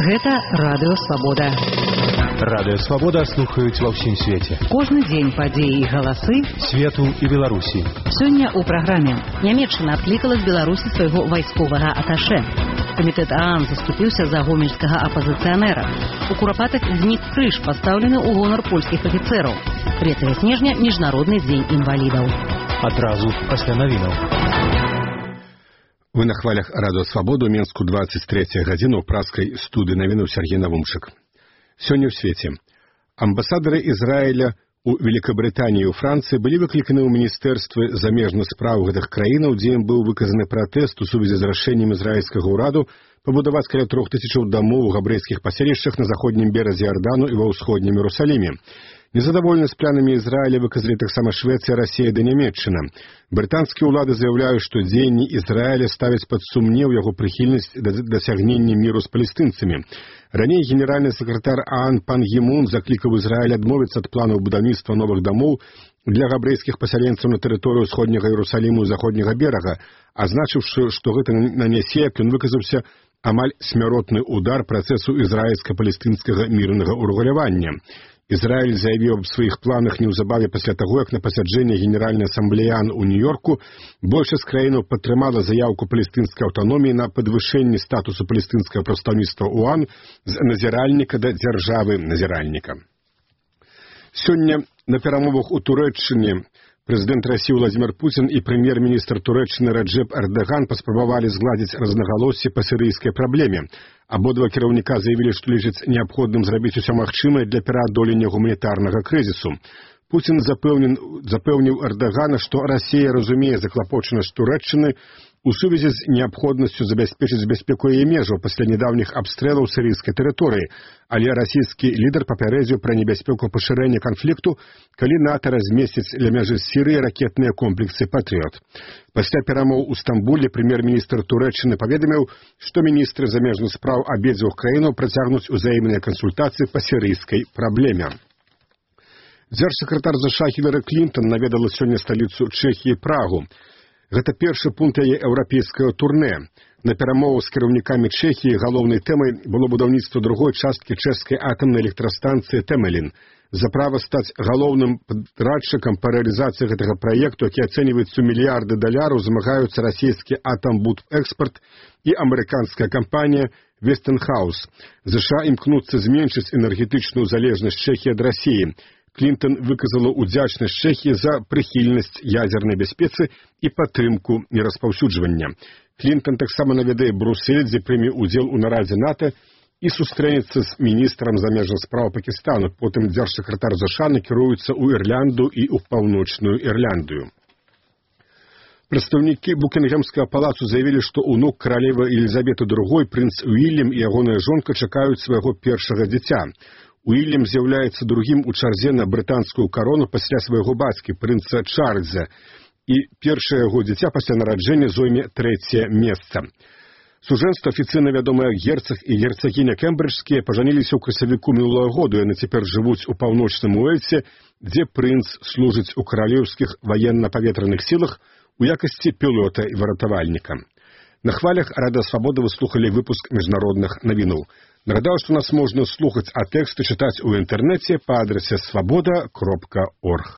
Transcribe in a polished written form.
Гэта Радыё Свабода. Радыё Свабода слухаюць ва ўсім свеце. Кожны дзень падзеі і галасы свету і Беларусі. Сёння ў праграме Нямецчына адклікала з Беларусі свайго вайсковага аташэ. Камітэт ААН заступіўся за гомельскага апазіцыянера. У Курапатах знік крыж, пастаўлены ў гонар польскіх афіцэраў. 3 снежня міжнародны дзень інвалідаў. Адразу пасля навінаў. Вы на хвалях Радыё Свабоду, Менску 23 гадзіну ў праскай студыі навінаў Сергей Навумчык. Сёння ў свеце. Амбасадары Ізраіля у Великабрытаніі і ў Францыі былі выкліканы ў міністэрствы замежных спраў гэтых краінаў, дзе ім быў выказаны пратэст у сувязі з рашэннем ізраільскага ўраду пабудаваць каля 3000 дамоў у габрэйскіх паселішчах на заходнім беразе Ярдану і ва ўсходнім Іерусаліме. Незадаволены з планамі Ізраіля выказалі таксама Швецыя, Расія ды Нямецчына. Брытанскія ўлады заяўляюць, што дзеянні Ізраіля ставяць пад сумнеў яго прыхільнасць да дасягнення міру з палестынцамі. Раней генеральны сакратар ААН Пан Гі Мун заклікаў Ізраіль адмовіцца ад планаў будаўніцтва новых дамоў для габрэйскіх пасяленцаў на тэрыторыю ўсходняга Іерусаліму і заходняга берага, азначыўшы, што гэта нанясе, як ён выказаўся, амаль смяротны удар працэсу ізраільска-палестынскага мірнага ўрэгулявання. Ізраіль заявіў аб сваіх планах неўзабаве пасля таго, як на пасяджэнні Генеральнай асамблеі ААН у Нью-Йорку большасць краінаў падтрымала заяўку палестынскай аўтаноміі на падвышэнне статусу палестынскага прадстаўніцтва ў ААН з назіральніка да дзяржавы-назіральніка. Сёння на перамовах у Турэччыне прэзідэнт Расіі Владзімір Пуцін і прэм'ер-міністр Турэччыны Раджэп Эрдаган паспрабавалі згладзіць разнагалоссі па сірыйскай праблеме. Абодва кіраўніка заявілі, што лічаць неабходным зрабіць усё магчымае для пераадолення гуманітарнага крызісу. Пуцін запэўніў Эрдагана, што Расія разумее заклапочанасць Турэччыны у сувязі з неабходнасцю забяспечыць бяспеку яе межаў пасля нядаўніх абстрэлаў сірыйскай тэрыторыі, але расійскі лідар папярэдзіў пра небяспеку пашырэння канфлікту, калі НАТО размесціць ля мяжы з Сірыяй ракетныя комплексы «Патрыот». Пасля перамоў у Стамбуле прэм'ер-міністр Турэччыны паведаміў, што міністры замежных спраў абедзвюх краінаў працягнуць узаемныя кансультацыі па сірыйскай праблеме. Дзяржсакратар ЗША Хілары Клінтон наведала сёння сталіцу Чэхіі Прагу. Гэта першы пункт яе еўрапейскага турнэ. На перамовах з кіраўнікамі Чэхіі галоўнай тэмай было будаўніцтва другой часткі чэшскай атамнай электрастанцыі Тэмелін. За права стаць галоўным падрадчыкам па рэалізацыі гэтага праекту, які ацэньваецца ў мільярды даляраў, змагаюцца расійскі Атамбудэкспарт і амерыканская кампанія Вестынхаус. ЗША імкнуцца зменшыць энергетычную залежнасць Чэхіі ад Расіі. Клінтон выказала ўдзячнасць Чэхіі за прыхільнасць ядзернай бяспецы і падтрымку нераспаўсюджвання. Клінтон таксама наведае Брусэль, дзе прыме ўдзел у нарадзе НАТО і сустрэнецца з міністрам замежных спраў Пакістану. Потым дзяржсакратар ЗША накіруецца ў Ірлянду і ў Паўночную Ірландыю. Прадстаўнікі Букінгемскага палацу заявілі, што ўнук каралевы Елізаветы II, прынц Уільям і ягоная жонка чакаюць свайго першага дзіця. Уільям з'яўляецца другім у чарзе на брытанскую карону пасля свайго бацькі, прынца Чарльза, і першае яго дзіця пасля нараджэння зойме 3е месца. Сужэнства афіцыйна вядомыя герцаг і герцагіня Кембриджскія пажаніліся ў красавіку мінулага году, яны цяпер жывуць у паўночным Уэльсе, дзе прынц служыць у каралеўскіх ваенна-паветраных сілах у якасці пілота і выратавальніка. На хвалях Радыё Свабода вы слухалі выпуск міжнародных навінаў. Нагадаю, што нас можна слухаць, а тэксты чытаць у інтэрнэце па адрасе swaboda.org.